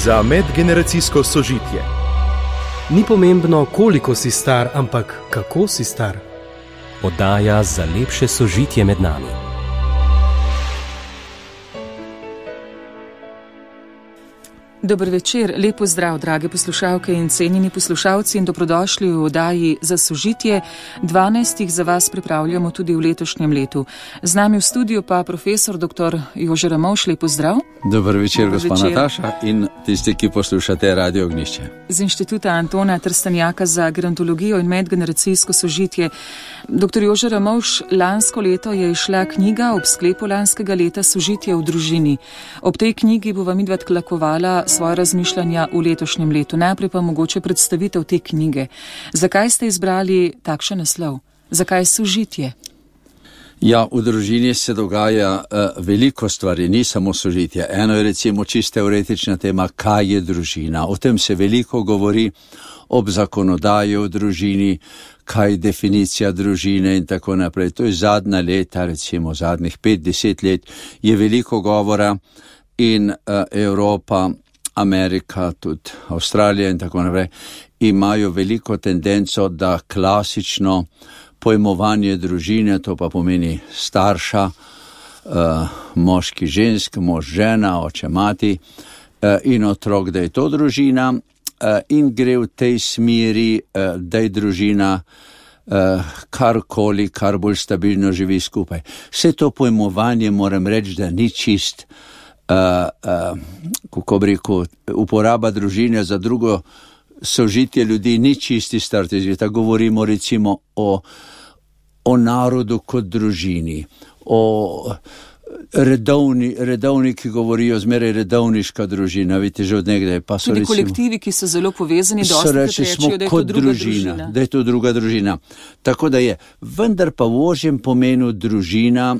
za medgeneracijsko sožitje. Ni pomembno, koliko si star, ampak kako si star. Oddaja za lepše sožitje med nami. Dober večer, lep pozdrav, drage poslušalke in cenjeni poslušalci in dobrodošli v oddaji za sožitje. 12 za vas pripravljamo tudi v letošnjem letu. Z nami v studiu pa profesor dr. Jože Ramovš, lep pozdrav. Dober večer, gospa Nataša in tisti, ki poslušate Radio Ognjišče. Z Inštituta Antona Trstenjaka za gerontologijo in medgeneracijsko sožitje. Dr. Jože Ramovš, lansko leto je izšla knjiga ob sklepu lanskega leta Sožitje v družini. Ob tej knjigi bova midva tlakovala svoje razmišljanja v letošnjem letu. Najprej pa mogoče predstavitev te knjige. Zakaj ste izbrali takšen naslov? Zakaj sožitje? Ja, v družini se dogaja veliko stvari, ni samo sožitje. Eno je recimo čisto teoretična tema, kaj je družina. O tem se veliko govori ob zakonodaji v družini, kaj je definicija družine in tako naprej. To je zadnja leta, recimo zadnjih 5-10 let, je veliko govora in Evropa, Amerika, tudi Avstralija in tako naprej, imajo veliko tendenco, da klasično pojmovanje družine, to pa pomeni starša, moški, žensk, mož, žena, oče, mati in otrok, da je to družina in gre v tej smeri, da je družina karkoli, kar bolj stabilno živi skupaj. Vse to pojmovanje moram reči, da ni čist, kako bi rekel, uporaba družine za drugo sožitje ljudi ni čisti starti zvita. Govorimo recimo o narodu kot družini, o redovni, ki govorijo zmeraj redovniška družina, vidite, že od nekdaj. Pa so tudi recimo kolektivi, ki so zelo povezani, dosti rečejo, da je to druga družina. Da je to druga družina. Tako da je, vendar pa v ožjem pomenu družina,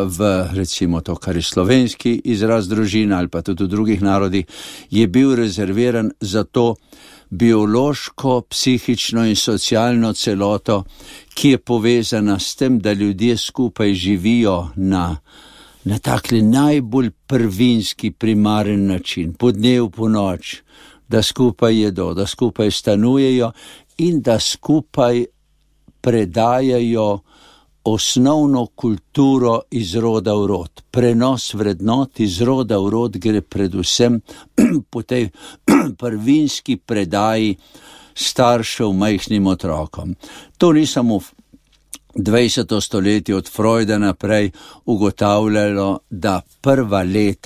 v recimo to, kar je slovenski izraz družina ali pa tudi v drugih narodih, je bil rezerviran za to biološko, psihično in socialno celoto, ki je povezana s tem, da ljudje skupaj živijo na takli najbolj prvinski, primaren način, po dnevu, po noč, da skupaj jedo, da skupaj stanujejo in da skupaj predajajo osnovno kulturo iz roda v rod. Prenos vrednot iz roda v rod gre predvsem po tej prvinski predaji staršev majhnim otrokom. To ni samo v 20. stoletju od Freuda naprej ugotavljalo, da prva 3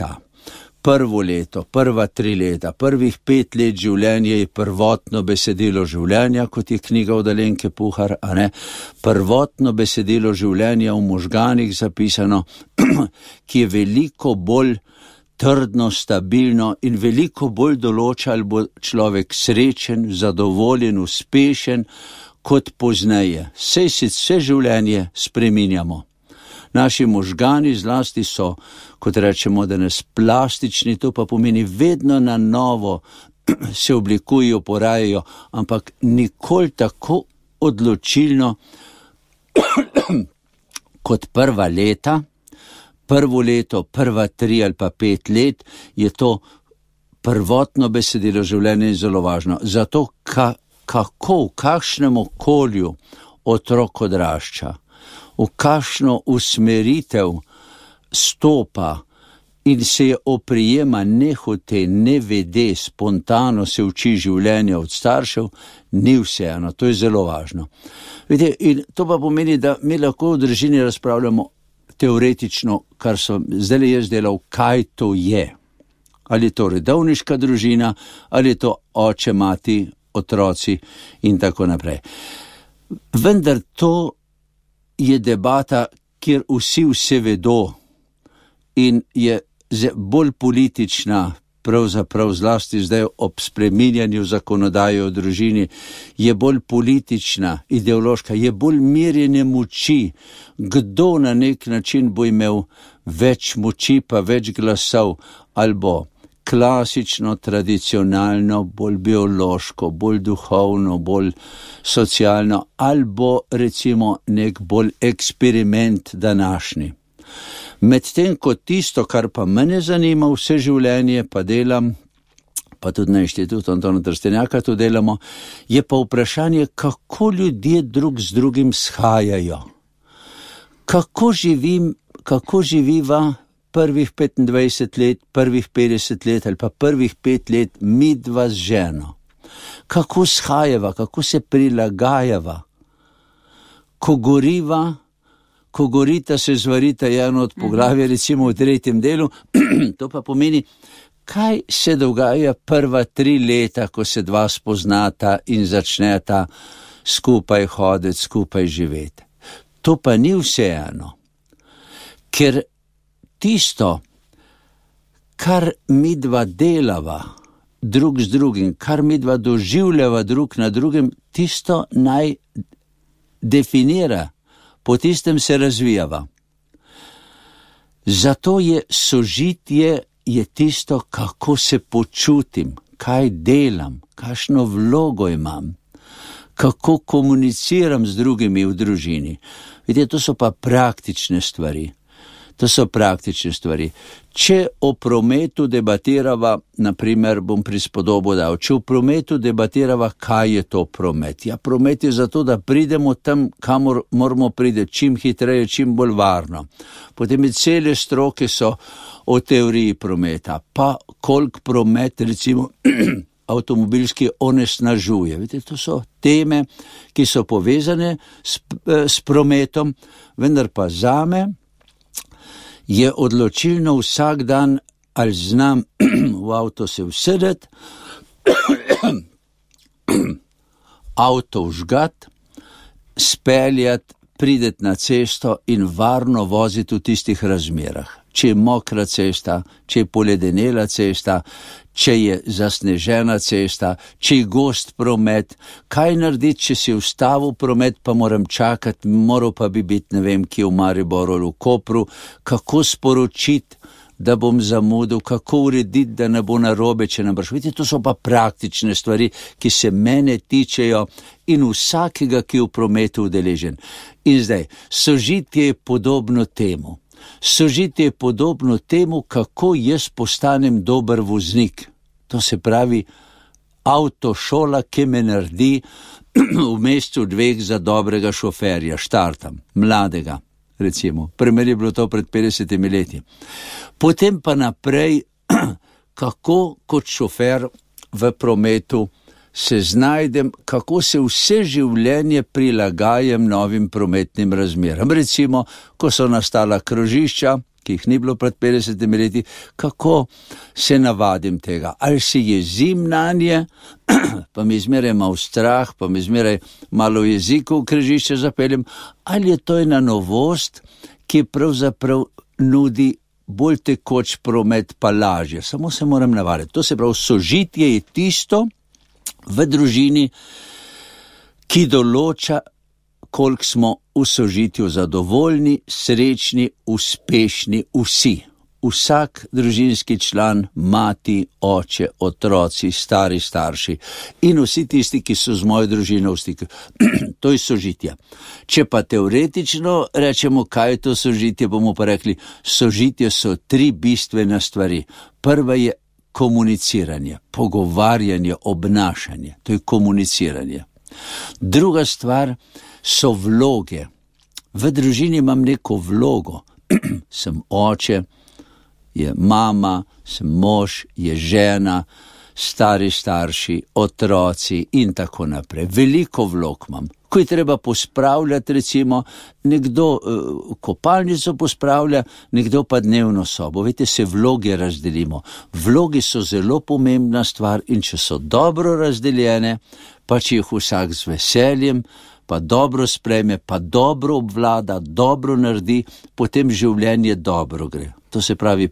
leta, prvih 5 let življenja je prvotno besedilo življenja, kot je knjiga od Alenke Puhar, a ne? Prvotno besedilo življenja v možganih zapisano, ki je veliko bolj trdno, stabilno in veliko bolj določa, ali bo človek srečen, zadovoljen, uspešen, kot pozneje. Sej se vse življenje spreminjamo. Naši možgani zlasti so, kot rečemo danes, plastični, to pa pomeni vedno na novo se oblikujejo, porajajo, ampak nikoli tako odločilno kot prva leta. Prvo leto, prva 3 ali pa 5 let je to prvotno besedilo življenja in zelo važno. Zato kako, v kakšnem okolju otrok odrašča, v kakšno usmeritev stopa in se oprijema nehote, nevede, spontano se uči življenja od staršev, ni vseeno, to je zelo važno. Vidite, in to pa pomeni, da mi lahko v družini razpravljamo teoretično, kar sem zdaj jaz delal, kaj to je. Ali je to redovniška družina, ali je to oče, mati, otroci in tako naprej. Vendar to je debata, kjer vsi vse vedo in je bolj politična, pravzaprav zlasti zdaj ob spreminjanju zakonodaje o družini, je bolj politična, ideološka, je bolj merjenje moči, kdo na nek način bo imel več moči pa več glasov, ali bo klasično, tradicionalno, bolj biološko, bolj duhovno, bolj socialno, ali bo recimo nek bolj eksperiment današnji. Medtem ko tisto, kar pa mene zanima vse življenje, pa delam, pa tudi na inštitutu Antona Trstenjaka to delamo, je pa vprašanje, kako ljudje drug z drugim shajajo. Kako živiva prvih 25 let, prvih 50 let ali pa prvih 5 let midva z ženo. Kako shajava, kako se prilagajava. Ko gorita, se zvarita eno od poglavja, recimo v 3. delu, to pa pomeni, kaj se dogaja prva 3 leta, ko se dva spoznata in začneta skupaj hoditi, skupaj živeti. To pa ni vseeno, ker tisto, kar midva delava drug z drugim, kar midva doživljava drug na drugem, tisto naj definira, po tistem se razvijava. Zato je sožitje je tisto, kako se počutim, kaj delam, kakšno vlogo imam, kako komuniciram z drugimi v družini. Vidite, to so pa praktične stvari. Če o prometu debatirava, naprimer bom prispodobo dal, če o prometu debatirava, kaj je to promet? Ja, promet je zato, da pridemo tam, kamor moramo priti, čim hitreje, čim bolj varno. Potem je cele stroke so o teoriji prometa, pa koliko promet, recimo, avtomobilski onesnažuje. Vidite, to so teme, ki so povezane s prometom, vendar pa zame je odločilno vsak dan, ali znam v avto se usedeti, avto vžgat, speljati, prideti na cesto in varno voziti v tistih razmerah. Če je mokra cesta, če je poledenela cesta, če je zasnežena cesta, če je gost promet, kaj narediti, če si ustavil promet, pa moram čakati, moral pa bi biti, ne vem, kje v Mariboru ali v Kopru, kako sporočiti, da bom zamudil, kako urediti, da ne bo narobe, če ne boš. Vidite, to so pa praktične stvari, ki se mene tičejo in vsakega, ki je v prometu udeležen. In zdaj, sožitje je podobno temu. Sožitje je podobno temu, kako jaz postanem dober voznik. To se pravi avtošola, ki me naredi v mesecu 2 za dobrega šoferja, štartam, mladega, recimo. Primer je bilo to pred 50 leti. Potem pa naprej, kako kot šofer v prometu se znajdem, kako se vse življenje prilagajam novim prometnim razmeram. Recimo, ko so nastala krožišča, ki jih ni bilo pred 50 leti, kako se navadim tega. Ali se jezim nanje, pa mi zmeraj malo strah, pa mi zmeraj malo jeziku v križišče zapeljem, ali je to ena novost, ki pravzaprav nudi bolj tekoč promet, pa lažje. Samo se moram navaditi. To se pravi, sožitje je tisto v družini, ki določa, koliko smo v sožitju zadovoljni, srečni, uspešni vsi. Vsak družinski član, mati, oče, otroci, stari starši in vsi tisti, ki so z mojo družino v stiku. To je sožitje. Če pa teoretično rečemo, kaj je to sožitje, bomo pa rekli, sožitje so 3 bistvene stvari. Prva je komuniciranje, pogovarjanje, obnašanje. To je komuniciranje. Druga stvar so vloge. V družini imam neko vlogo. Sem oče, je mama, sem mož, je žena, stari starši, otroci in tako naprej. Veliko vlog imam. Ko je treba pospravljati, recimo, nekdo kopalnico pospravlja, nekdo pa dnevno sobo. Veste, se vloge razdelimo. Vloge so zelo pomembna stvar in če so dobro razdeljene, pa če jih vsak z veseljem, pa dobro sprejme, pa dobro obvlada, dobro naredi, potem življenje dobro gre. To se pravi,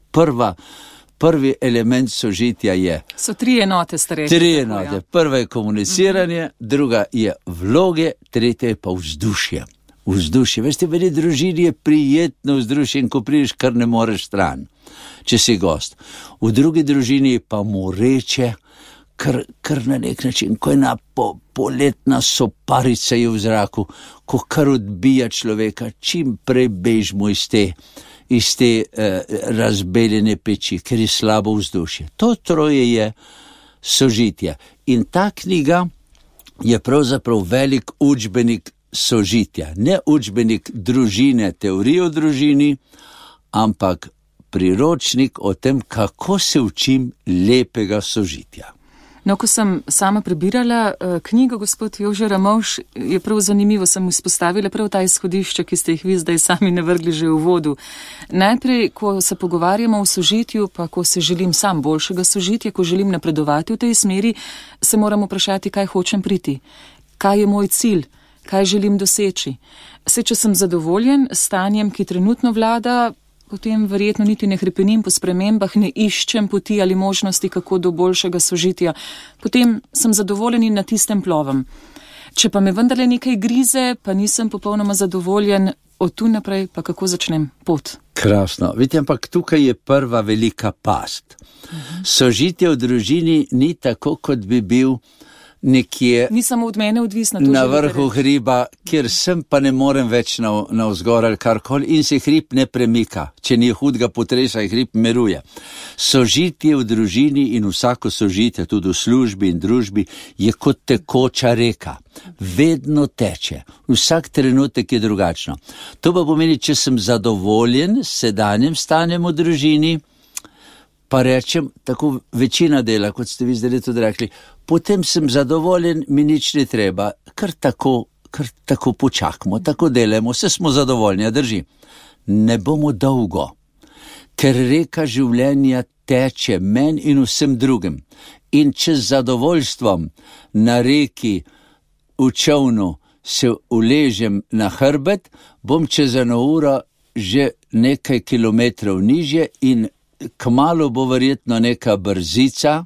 prvi element sožitja je. So 3 enote, ste rekli. 3 enote. Ja. Prva je komuniciranje, druga je vloge, tretja je pa vzdušje. Vzdušje. Veste, v eni družini je prijetno vzdušje in ko prideš, kar ne moreš stran, če si gost. V drugi družini je pa moreče, kar na nek način, ko je ena poletna soparica je v zraku, ko kar odbija človeka, čim prej bežmo iz te razbeljene peči, ker je slabo vzdušje. To troje je sožitje. In ta knjiga je pravzaprav velik učbenik sožitja. Ne učbenik družine, teorije o družini, ampak priročnik o tem, kako se učim lepega sožitja. No, ko sem sama prebirala knjigo, gospod Jože Ramovš, je prav zanimivo, sem izpostavila prav ta izhodišča, ki ste jih vi zdaj sami navrgli že v vodu. Najprej, ko se pogovarjamo o sožitju, pa ko se želim sam boljšega sožitja, ko želim napredovati v tej smeri, se moram vprašati, kaj hočem priti, kaj je moj cilj, kaj želim doseči. Saj, če sem zadovoljen s stanjem, ki trenutno vlada, potem verjetno niti ne hrepenim po spremembah, ne iščem poti ali možnosti, kako do boljšega sožitja. Potem sem zadovoljen in na tistem plovem. Če pa me vendarle nekaj grize, pa nisem popolnoma zadovoljen, od tu naprej pa kako začnem pot. Krasno. Vidite, ampak tukaj je prva velika past. Sožitje v družini ni tako, kot bi bil nekje ni samo od mene odvisno, na vrhu hriba, kjer sem pa ne morem več navzgor ali karkoli in se hrib ne premika. Če ni hudega potresa, hrib miruje. Sožitje v družini in vsako sožitje, tudi v službi in družbi, je kot tekoča reka. Vedno teče. Vsak trenutek je drugačno. To pa pomeni, če sem zadovoljen s sedanjem stanjem v družini, pa rečem, tako večina dela, kot ste vi zdaj tudi rekli, potem sem zadovoljen, mi nič ne treba, kar tako počakamo, tako delamo, vse smo zadovoljni, drži. Ne bomo dolgo, ker reka življenja teče meni in vsem drugim. In če z zadovoljstvom na reki v čovnu se uležem na hrbet, bom čez 1 uro že nekaj kilometrov nižje in kmalu bo verjetno neka brzica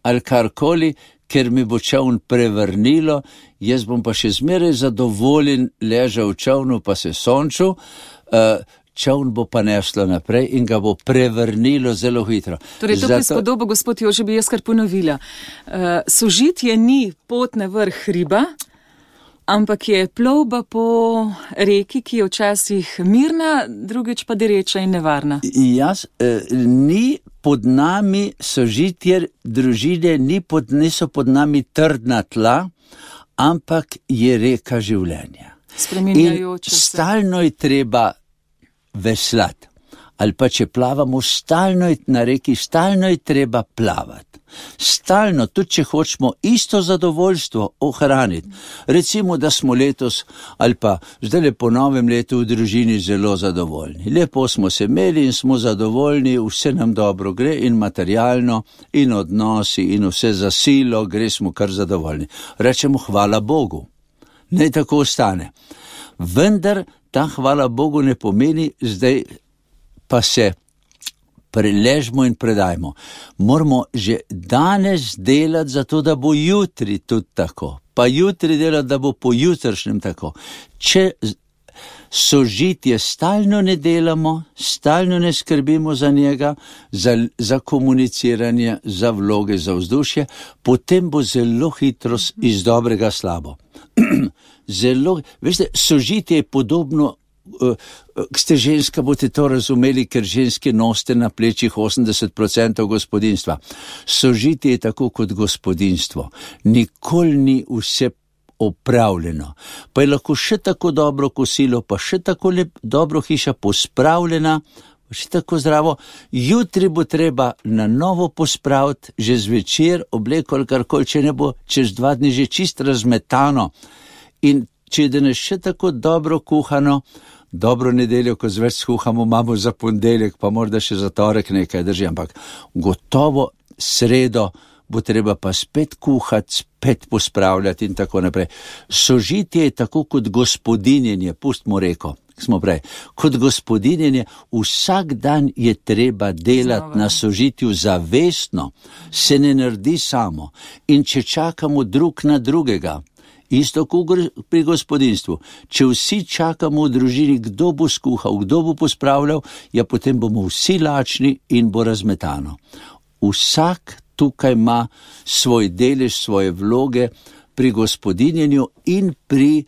ali karkoli, ker mi bo čovn prevrnilo, jaz bom pa še zmeraj zadovoljen ležal v čovnu pa se sončil, čovn bo pa neslo naprej in ga bo prevrnilo zelo hitro. Torej, to prispodobo, gospod Jože, bi jaz kar ponovila. Sožitje ni pot na vrh hriba, ampak je plovba po reki, ki je včasih mirna, drugič pa dereča in nevarna. Ni pod nami sožitje družine, niso pod nami trdna tla, ampak je reka življenja. Spreminjajoče se. In stalno je treba veslati. Ali pa če plavamo, stalno je na reki, stalno je treba plavati. Stalno, tudi če hočemo isto zadovoljstvo ohraniti. Recimo, da smo letos ali pa zdaj po novem letu v družini zelo zadovoljni. Lepo smo se imeli in smo zadovoljni, vse nam dobro gre in materialno in odnosi in vse za silo, gre smo kar zadovoljni. Rečemo hvala Bogu, naj tako ostane. Vendar ta hvala Bogu ne pomeni zdaj pa se preležmo in predajmo. Moramo že danes delati za to, da bo jutri tudi tako. Pa jutri delati, da bo po jutrišnjem tako. Če sožitje stalno ne delamo, stalno ne skrbimo za njega, za komuniciranje, za vloge, za vzdušje, potem bo zelo hitro iz dobrega slabo. Veste, sožitje je podobno, ste ženska, boste to razumeli, ker ženske nosite na plečih 80% gospodinstva. Sožitje je tako kot gospodinstvo. Nikoli ni vse opravljeno. Pa je lahko še tako dobro kosilo, pa še tako dobro hiša pospravljena, še tako zdravo. Jutri bo treba na novo pospraviti, že zvečer obleko ali karkoli, če ne bo čez 2 dni že čist razmetano. In če je danes še tako dobro kuhano, dobro nedeljo, ko zveč skuhamo, imamo za ponedeljek, pa morda še za torek nekaj drži, ampak gotovo sredo bo treba pa spet kuhati, spet pospravljati in tako naprej. Sožitje je tako kot gospodinjenje, pustimo reko, smo prej, kot gospodinjenje, vsak dan je treba delati na sožitju zavestno, se ne naredi samo. In če čakamo drug na drugega, isto kot pri gospodinstvu. Če vsi čakamo v družini, kdo bo skuhal, kdo bo pospravljal, ja potem bomo vsi lačni in bo razmetano. Vsak tukaj ima svoj delež, svoje vloge pri gospodinjenju in pri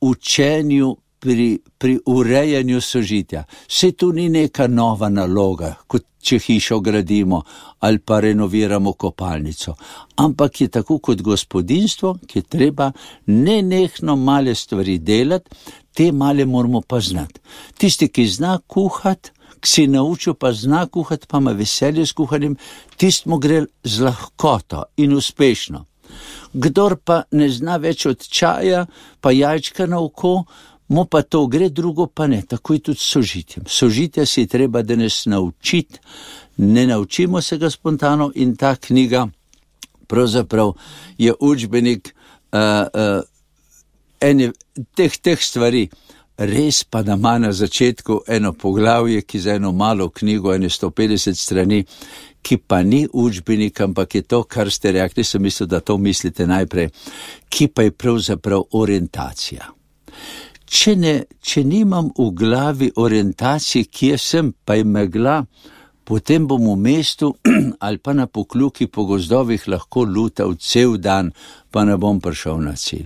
učenju, pri urejanju sožitja. Vse tu ni neka nova naloga, kot če hišo gradimo ali pa renoviramo kopalnico. Ampak je tako kot gospodinjstvo, ki je treba nenehno male stvari delati, te male moramo pa znati. Tisti, ki zna kuhati, ki si naučil pa zna kuhati, pa ima veselje s kuhanjem, tistmu gre z lahkoto in uspešno. Kdor pa ne zna več od čaja, pa jajčka na oko, mu pa to gre, drugo pa ne. Tako je tudi s sožitjem. Sožitja si treba danes naučiti, ne naučimo se ga spontano in ta knjiga pravzaprav je učbenik teh stvari. Res pa da ima na začetku eno poglavje, ki za eno malo knjigo, 150 strani, ki pa ni učbenik, ampak je to, kar ste rekli, sem mislil, da to mislite najprej, ki pa je pravzaprav orientacija. Če nimam v glavi orientacije, kje sem, pa je megla, potem bom v mestu ali pa na pokljuki po gozdovih lahko lutal cel dan, pa ne bom prišel na cilj.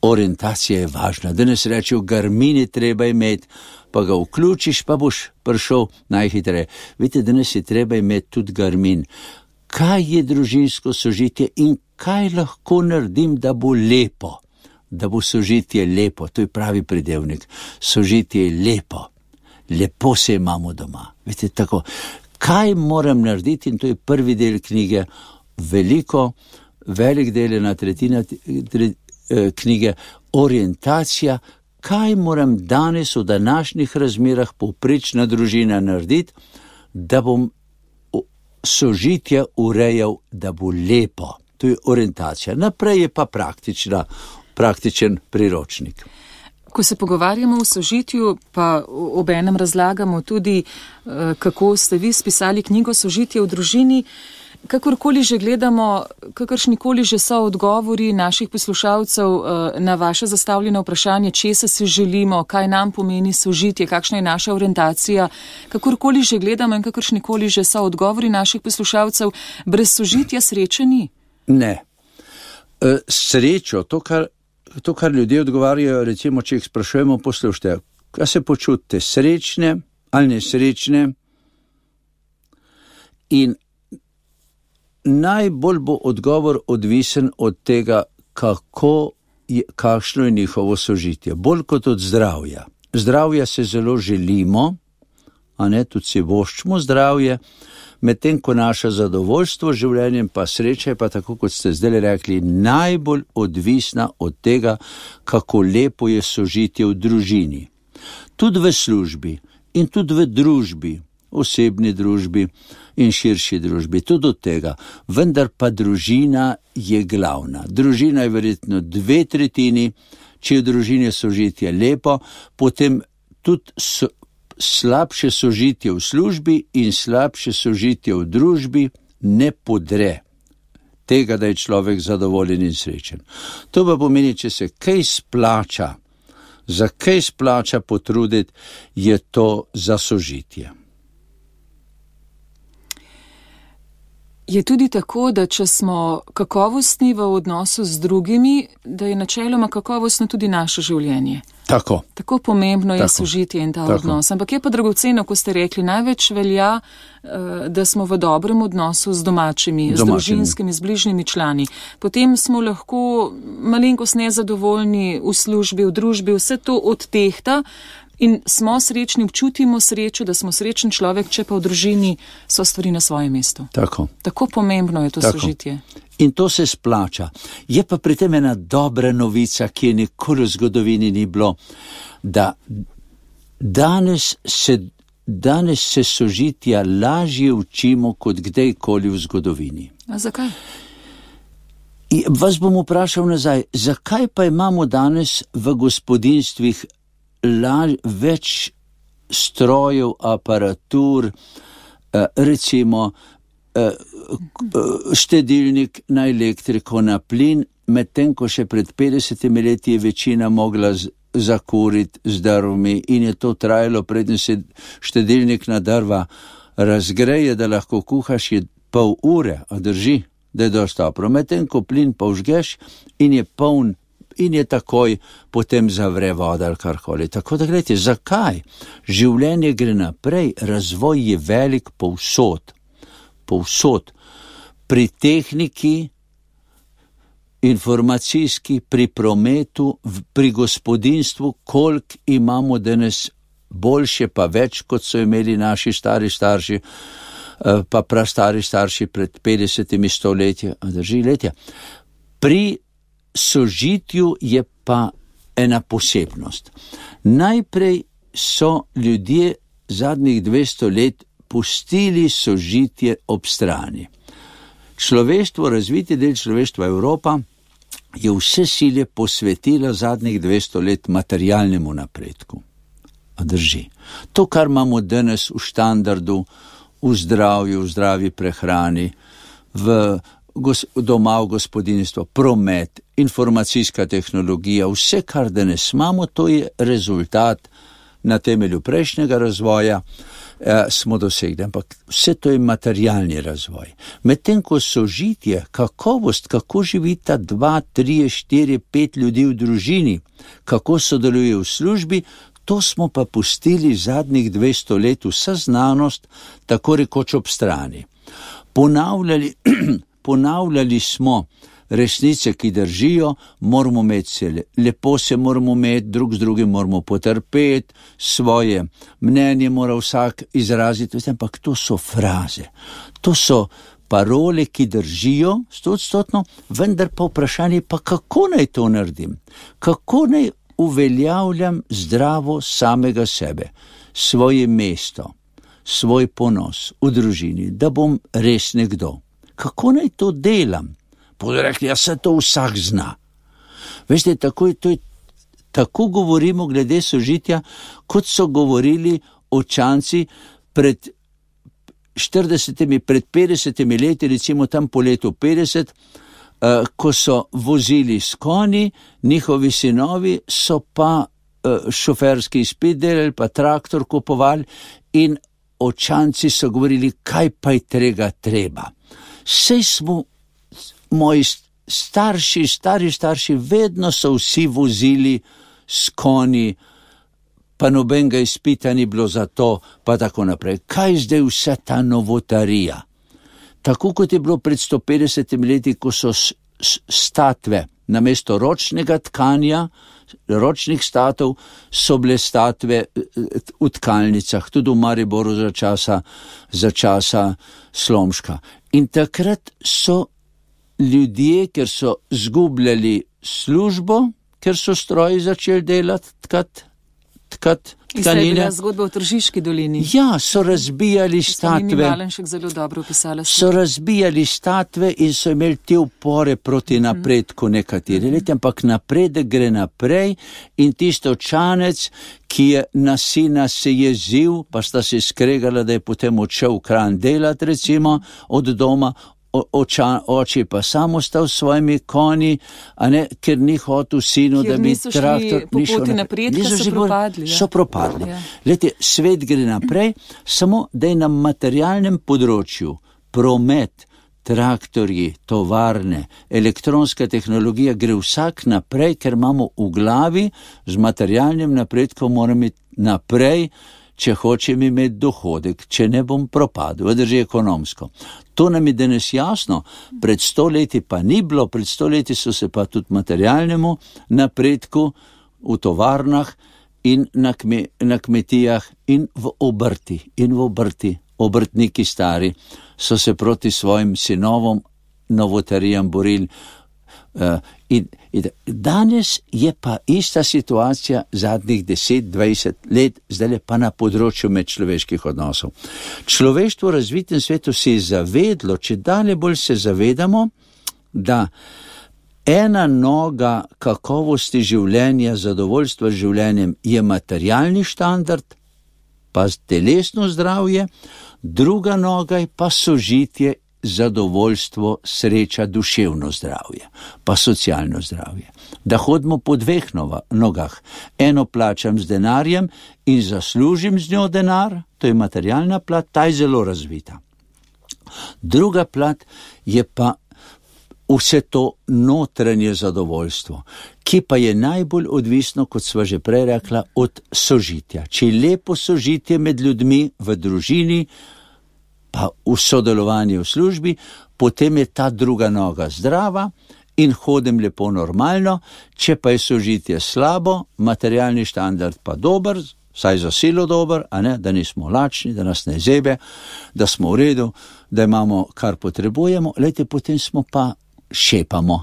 Orientacija je važna. Danes rečejo, Garmin je treba imeti, pa ga vključiš, pa boš prišel najhitreje. Vidite, danes je treba imeti tudi Garmin. Kaj je družinsko sožitje in kaj lahko naredim, da bo lepo? Da bo sožitje lepo, to je pravi pridevnik. Sožitje je lepo. Lepo se imamo doma. Vidite, tako. Kaj moram narediti, in to je prvi del knjige, velik del, ena tretjina knjige, orientacija, kaj moram danes v današnjih razmerah povprečna družina narediti, da bom sožitje urejal, da bo lepo. To je orientacija. Naprej je pa praktičen priročnik. Ko se pogovarjamo o sožitju, pa obenem razlagamo tudi, kako ste vi spisali knjigo Sožitje v družini, kakorkoli že gledamo, kakršnikoli že so odgovori naših poslušalcev na vaše zastavljeno vprašanje, česa si želimo, kaj nam pomeni sožitje, kakšna je naša orientacija, kakorkoli že gledamo in kakršnikoli že so odgovori naših poslušalcev, brez sožitja sreče ni? Ne. Srečo, to, kar ljudje odgovarjajo, recimo, če jih sprašujemo, poslušajte, kaj se počutite, srečne ali nesrečne? In najbolj bo odgovor odvisen od tega, kakšno je njihovo sožitje, bolj kot od zdravja. Zdravja se zelo želimo, a ne, tudi si voščimo zdravje, medtem ko naše zadovoljstvo z življenjem pa sreča je pa, tako kot ste zdaj rekli, najbolj odvisna od tega, kako lepo je sožitje v družini. Tudi v službi in tudi v družbi, osebni družbi in širši družbi, tudi od tega. Vendar pa družina je glavna. Družina je verjetno 2/3, če je v družini sožitje lepo, potem tudi slabše sožitje v službi in slabše sožitje v družbi ne podre tega, da je človek zadovoljen in srečen. To pa pomeni, če se kaj splača, za kaj splača potruditi, je to za sožitje. Je tudi tako, da če smo kakovostni v odnosu z drugimi, da je načeloma kakovostno tudi naše življenje. Tako pomembno je sožitje in ta odnos. Ampak je pa dragoceno, ko ste rekli, največ velja, da smo v dobrem odnosu z domačimi, z družinskimi, z bližnjimi člani. Potem smo lahko malenkost nezadovoljni v službi, v družbi, vse to odtehta in smo srečni, občutimo srečo, da smo srečen človek, če pa v družini so stvari na svojem mestu. Tako pomembno je to sožitje. In to se splača. Je pa pri tem ena dobra novica, ki je nikoli v zgodovini ni bilo, da danes se sožitja lažje učimo kot kdajkoli v zgodovini. A zakaj? Vas bom vprašal nazaj, zakaj pa imamo danes v gospodinstvih več strojev, aparatur, recimo štedilnik na elektriko, na plin, medtem ko še pred 50 leti je večina mogla zakuriti z drvmi in je to trajalo, preden se štedilnik na drva razgreje, da lahko kuhaš, je pol ure, a drži, da je dosti toplo. Medtem ko plin pa vžgeš in je poln in je takoj potem zavre voda ali karkoli. Tako da gledajte, zakaj? Življenje gre naprej, razvoj je velik povsod. Pri tehniki, informacijski, pri prometu, pri gospodinstvu, koliko imamo danes boljše pa več, kot so imeli naši stari starši, pa prastari starši pred 50 stoletji, drži letja. Pri sožitju je pa ena posebnost. Najprej so ljudje zadnjih 200 let pustili sožitje ob strani. Človeštvo, razviti del človeštva Evropa, je vse sile posvetila zadnjih 200 let materialnemu napredku. A drži. To, kar imamo danes v štandardu, v zdravju, v zdravi prehrani, doma v gospodinstvo, promet, informacijska tehnologija, vse, kar danes imamo, to je rezultat na temelju prejšnjega razvoja, smo dosegli, ampak vse to je materialni razvoj. Medtem ko sožitje, kakovost, kako živita 2, 3, 4, 5 ljudi v družini, kako sodeluje v službi, to smo pa pustili zadnjih 200 let vsa znanost, tako rekoč ob strani. Ponavljali smo resnice, ki držijo, moramo imeti se lepo, se moramo imeti, drug z drugim moramo potrpeti, svoje mnenje mora vsak izraziti, ampak to so fraze, to so parole, ki držijo 100%, vendar pa vprašanje pa, kako naj to naredim, kako naj uveljavljam zdravo samega sebe, svoje mesto, svoj ponos v družini, da bom res nekdo. Kako naj to delam? Bodo rekli, ja, se to vsak zna. Veste, tako govorimo glede sožitja, kot so govorili očanci pred 40, pred 50 leti, recimo tam po letu 50, ko so vozili s konji, njihovi sinovi so pa šoferski izpit delali, pa traktor kupovali in očanci so govorili, kaj pa je tega treba. Sej smo, moji stari starši, vedno so vsi vozili s konji, pa nobenega izpita ni bilo za to, pa tako naprej. Kaj zdaj vsa ta novotarija? Tako kot je bilo pred 150 leti, ko so statve namesto ročnega tkanja, ročnih statov, so bile statve v tkalnicah, tudi v Mariboru za časa Slomška. In takrat so ljudje, ker so zgubljali službo, ker so stroji začeli delati, tkati tkanine. Ista je bila zgodba v Tržiški dolini. Ja, so razbijali statve. Zelo dobro opisala. So razbijali statve in so imeli te upore proti napredku nekateri leti, ampak napredek gre naprej in tisto očanec, ki je na sina se jezil, pa sta se skregala, da je potem odšel v Kranj delat, recimo, od doma, oče pa sam ostal s svojimi konji, a ne, ker ni hotel sinu, da bi traktor... Po poti napredka so propadli. So propadli. Lejte, svet gre naprej, samo da je na materialnem področju promet, traktorji, tovarne, elektronska tehnologija gre vsak naprej, ker imamo v glavi z materialnim napredkom, moramo iti naprej, če hočem imeti dohodek, če ne bom propadel, drži ekonomsko. To nam je danes jasno, pred 100 leti pa ni bilo, pred 100 leti so se pa tudi materialnemu napredku v tovarnah in na kmetijah in v obrti, obrtniki stari so se proti svojim sinovom novotarijam borili. In danes je pa ista situacija zadnjih 10-20 let, zdaj pa na področju medčloveških odnosov. Človeštvo v razvitem svetu se je zavedlo, če dalje bolj se zavedamo, da ena noga kakovosti življenja, zadovoljstva z življenjem je materialni štandard, pa telesno zdravje, druga noga je pa sožitje, zadovoljstvo, sreča, duševno zdravje, pa socialno zdravje. Da hodimo po dveh nogah. Eno plačam z denarjem in zaslužim z njo denar, to je materialna plat, ta je zelo razvita. Druga plat je pa vse to notranje zadovoljstvo, ki pa je najbolj odvisno, kot sva že prej rekla, od sožitja. Če je lepo sožitje med ljudmi v družini, pa v sodelovanju v službi, potem je ta druga noga zdrava in hodim lepo normalno. Če pa je sožitje slabo, materialni štandard pa dober, saj za silo dober, a ne, da nismo lačni, da nas ne zebe, da smo v redu, da imamo, kar potrebujemo, lejte, potem smo pa šepamo.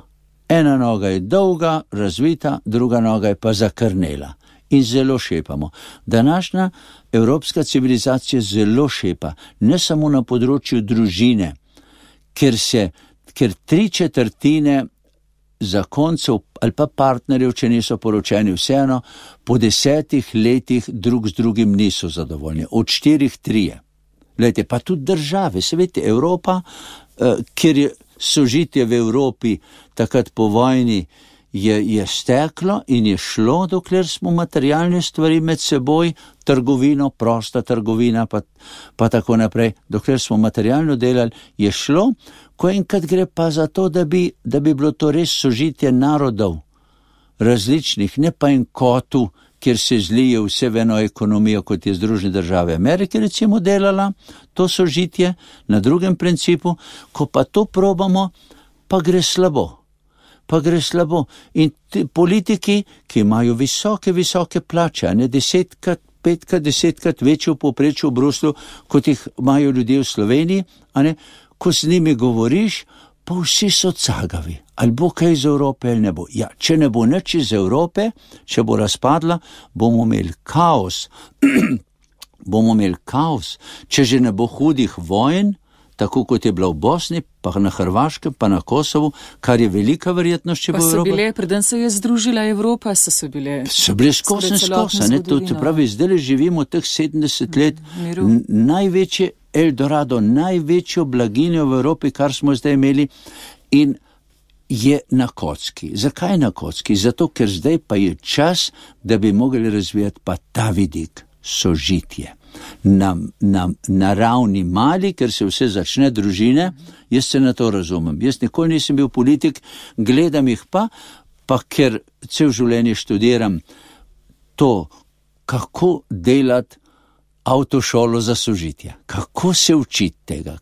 Ena noga je dolga, razvita, druga noga je pa zakrnela in zelo šepamo. Današnja evropska civilizacija zelo šepa, ne samo na področju družine, ker 3/4 zakoncev ali pa partnerjev, če niso poročeni, vseeno po 10 letih drug z drugim niso zadovoljni, od 4 3. Glejte, pa tudi države, se veste, Evropa, kjer je sožitje v Evropi takrat po vojni je steklo in je šlo, dokler smo materialne stvari med seboj, trgovino, prosta trgovina, pa tako naprej, dokler smo materialno delali, je šlo, ko enkrat gre pa za to, da bi bilo to res sožitje narodov različnih, ne pa en kotu, kjer se zlije vse v eno ekonomijo, kot je Združene države Amerike recimo delala, to sožitje na drugem principu, ko pa to probamo, pa gre slabo. In politiki, ki imajo visoke plače, ne 10-krat, 5-krat, 10-krat večjo povprečju v Bruslju, kot jih imajo ljudje v Sloveniji, a ne, ko z njimi govoriš, pa vsi so cagavi. Ali bo kaj iz Evrope ali ne bo. Ja, če ne bo nič iz Evrope, če bo razpadla, bomo imeli kaos. Če že ne bo hudih vojn, tako kot je bila v Bosni, pa na Hrvaškem, pa na Kosovu, kar je velika verjetnost, če bo Evropa. Pa so bile, preden se je združila Evropa, so bile skozi, ne, to pravi, zdaj živimo teh 70 let, največje Eldorado, največjo blaginjo v Evropi, kar smo zdaj imeli, in je na kocki. Zakaj na kocki? Zato, ker zdaj pa je čas, da bi mogli razvijati pa ta vidik, sožitje. Na ravni mali, ker se vse začne družine, jaz se na to razumem. Jaz nikoli nisem bil politik, gledam jih pa ker cel življenje študiram to, kako delati avtošolo za sožitje. Kako se učiti tega?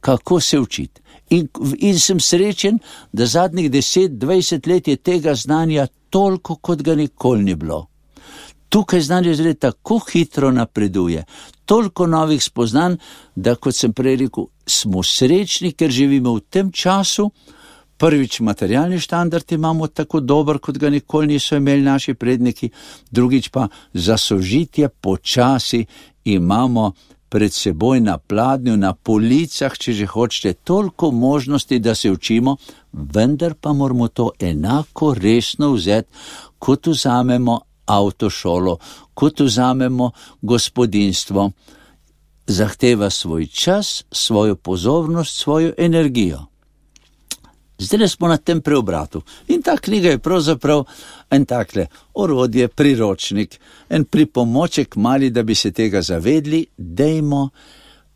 In sem srečen, da zadnjih 10-20 let je tega znanja toliko, kot ga nikoli ni bilo. Tukaj znanje zdaj tako hitro napreduje, toliko novih spoznanj, da, kot sem prej rekel, smo srečni, ker živimo v tem času. Prvič, materialni štandard imamo tako dober, kot ga nikoli niso imeli naši predniki, drugič pa za sožitje počasi imamo pred seboj na pladnju, na policah, če že hočete, toliko možnosti, da se učimo, vendar pa moramo to enako resno vzeti, kot vzamemo avtošolo, kot vzamemo gospodinjstvo. Zahteva svoj čas, svojo pozornost, svojo energijo. Zdaj smo na tem preobratu in ta knjiga je pravzaprav en takle orodje, priročnik, en pripomoček mali, da bi se tega zavedli.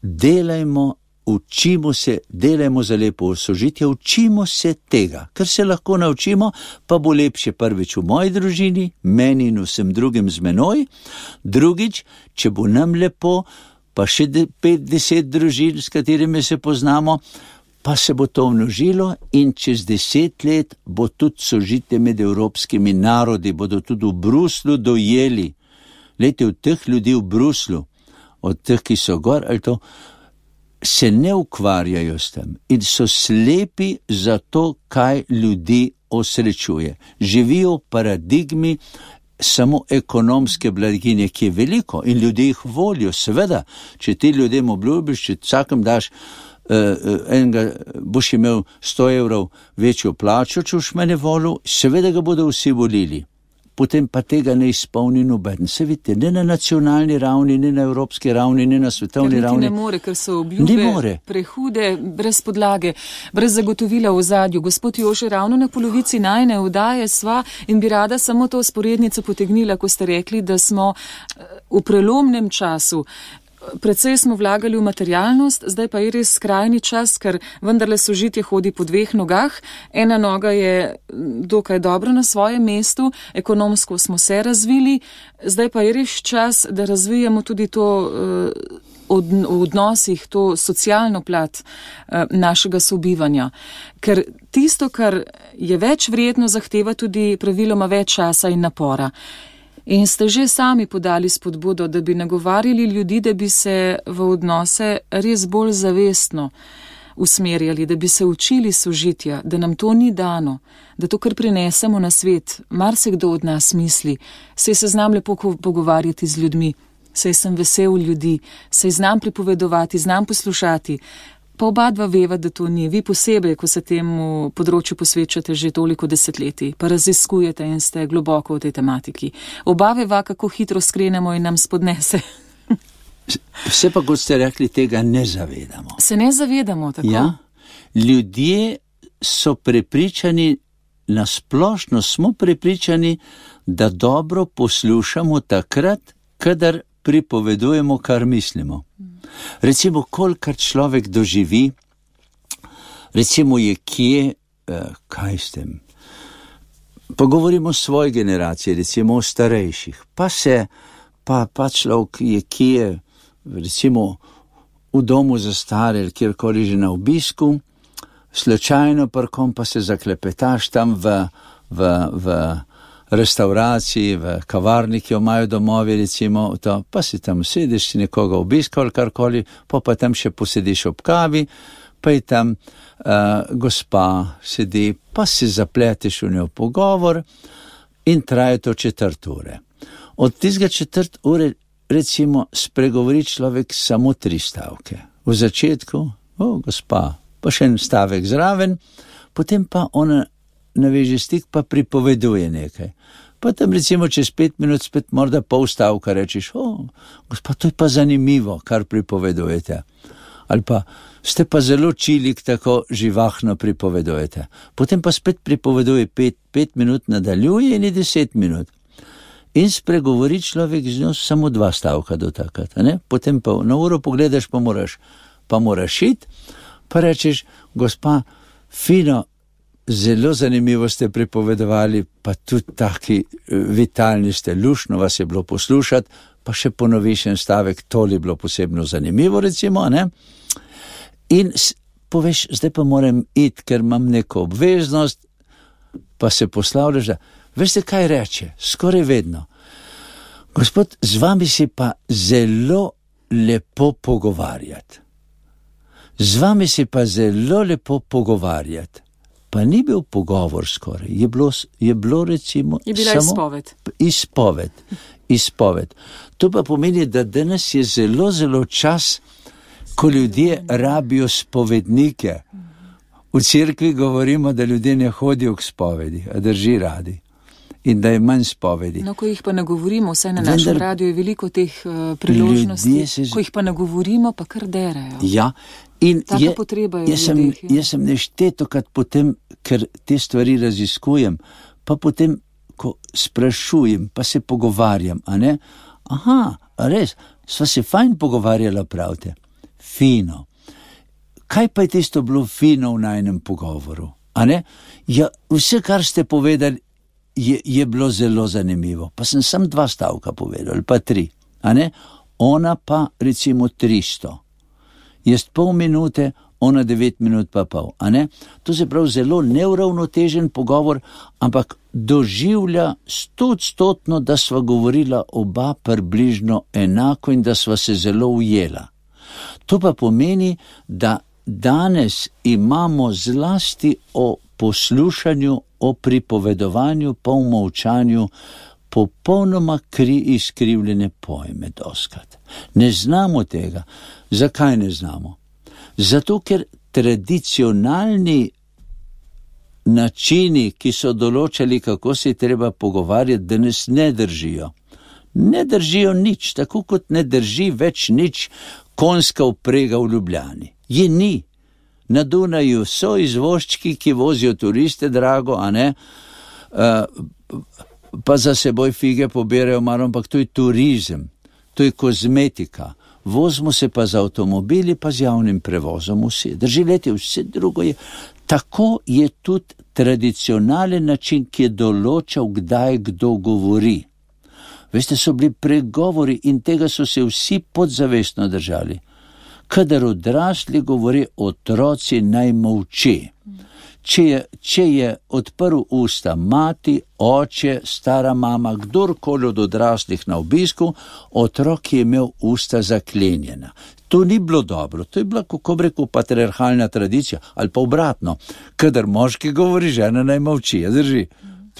Delajmo, učimo se, delajmo za lepo sožitje, učimo se tega, ker se lahko naučimo, pa bo lepše prvič v moji družini, meni in vsem drugim z menoj, drugič, če bo nam lepo, pa še 5-10 družin, s katerimi se poznamo, pa se bo to množilo in čez 10 let bo tudi sožitje med evropskimi narodi, bodo tudi v Bruslju dojeli. Glejte, od teh ljudi v Bruslju, od teh, ki so gor, ali to, se ne ukvarjajo s tem in so slepi za to, kaj ljudi osrečuje. Živijo v paradigmi samo ekonomske blaginje, ki je veliko in ljudje jih volijo. Seveda, če ti ljudem obljubiš, če vsakem daš boš imel 100 evrov večjo plačo, če boš mene volil, seveda ga bodo vsi volili. Potem pa tega ne izpolni noben. Se vidite, ne na nacionalni ravni, ne na evropski ravni, ne na svetovni ravni. Ne more, ker so obljube prehude, brez podlage, brez zagotovila v ozadju. Gospod Jože, ravno na polovici najne vdaje sva in bi rada samo to vzporednico potegnila, ko ste rekli, da smo v prelomnem času. precej smo vlagali v materialnost, zdaj pa je res skrajni čas, ker vendarle sožitje hodi po dveh nogah. Ena noga je dokaj dobro na svojem mestu, ekonomsko smo se razvili, zdaj pa je res čas, da razvijamo tudi to v odnosih, to socialno plat našega sobivanja. Ker tisto, kar je več vredno, zahteva tudi praviloma več časa in napora. In ste že sami podali spodbudo, da bi nagovarjali ljudi, da bi se v odnose res bolj zavestno usmerjali, da bi se učili sožitja, da nam to ni dano, da to, kar prinesemo na svet, marsikdo od nas misli, saj se znam lepo pogovarjati z ljudmi, saj sem vesel ljudi, saj znam pripovedovati, znam poslušati. Pa oba dva veva, da to ni. Vi posebej, ko se temu področju posvečate že toliko desetletij, pa raziskujete in ste globoko v tej tematiki. Oba veva, kako hitro skrenemo in nam spodnese. Vse pa, kot ste rekli, tega ne zavedamo. Se ne zavedamo, tako? Ja, ljudje so prepričani, nasplošno smo prepričani, da dobro poslušamo takrat, kadar pripovedujemo, kar mislimo. Recimo, kolikor človek doživi, recimo je kje, kaj s tem, pa govorimo o svoji generaciji, recimo o starejših, pa človek je kje, recimo v domu za stare, kjerkoli že na obisku, slučajno prkom pa se zaklepetaš tam v restauraciji, v kavarni, ki jo imajo domovi, recimo, to, pa si tam sediš, si nekoga obiskal, karkoli, pa tam še posediš ob kavi, pa je tam gospa sedi, pa si zapleteš v njo pogovor in traje to 4 ure. Od tistega 4 ure, recimo, spregovori človek samo 3 stavke. V začetku, gospa, pa še en stavek zraven, potem pa ona naveže stik, pa pripoveduje nekaj. Pa tam recimo čez 5 minut spet morda pol stavka rečeš, gospod, to je pa zanimivo, kar pripovedujete. Ali pa ste pa zelo čilik, tako živahno pripovedujete. Potem pa spet pripoveduje 5 minut, nadaljuje in je 10 minut. In spregovori človek z njo samo 2 stavka do takrat. Potem pa na uro pogledaš, pa moraš iti, pa rečeš, gospa, fino, zelo zanimivo ste pripovedovali, pa tudi taki vitalni ste, luštno vas je bilo poslušati, pa še ponoviš en stavek, to je bilo posebno zanimivo, recimo, ne? In poveš, zdaj pa moram iti, ker imam neko obveznost, pa se poslavljaš, da veste, kaj reče, skoraj vedno. Gospod, z vami si pa zelo lepo pogovarjati. Z vami si pa zelo lepo pogovarjati. Pa ni bil pogovor skoraj, je bilo recimo je bila samo izpoved. To pa pomeni, da danes je zelo, zelo čas, ko ljudje rabijo spovednike. V cerkvi govorimo, da ljudje ne hodijo k spovedi, a drži radi. In da je manj spovedi. No, ko jih pa nagovorimo, vsaj na našem radiju je veliko teh priložnosti, ko jih pa nagovorimo, pa kar derajo. Ja, in jaz sem neštetokrat potem, ker te stvari raziskujem, pa potem, ko sprašujem, pa se pogovarjam, a ne? Aha, res, sva se fajn pogovarjala, pravite. Fino. Kaj pa je tisto bilo fino v najnem pogovoru, a ne? Ja, vse, kar ste povedali, je bilo zelo zanimivo. Pa sem samo 2 stavka povedal, pa 3, a ne? Ona pa recimo 300. Jaz pol minute, ona 9 minut pa pol, a ne? To se pravi zelo neuravnotežen pogovor, ampak doživlja 100%, da sva govorila oba približno enako in da sva se zelo ujela. To pa pomeni, da danes imamo zlasti o poslušanju, o pripovedovanju, pa v molčanju, popolnoma izkrivljene pojme doskrat. Ne znamo tega. Zakaj ne znamo? Zato, ker tradicionalni načini, ki so določali, kako se je treba pogovarjati, danes ne držijo. Ne držijo nič, tako kot ne drži več nič konjska vprega v Ljubljani. Je ni. Na Dunaju so izvožčki, ki vozijo turiste, drago, a ne? Pa za seboj fige poberajo malo, ampak to je turizem, to je kozmetika. vozimo se pa z avtomobili, pa z javnim prevozom vsi. Drži, leti, vse drugo je. Tako je tudi tradicionalen način, ki je določal, kdaj kdo govori. Veste, so bili pregovori in tega so se vsi podzavestno držali. Kadar odrasli govori, otroci naj molči. Če je odprl usta mati, oče, stara mama, kdorkoli od odraslih na obisku, otrok je imel usta zaklenjena. To ni bilo dobro, to je bila, kako bi rekel, patriarhalna tradicija, ali pa obratno. Kadar moški govori, žena naj molči, drži.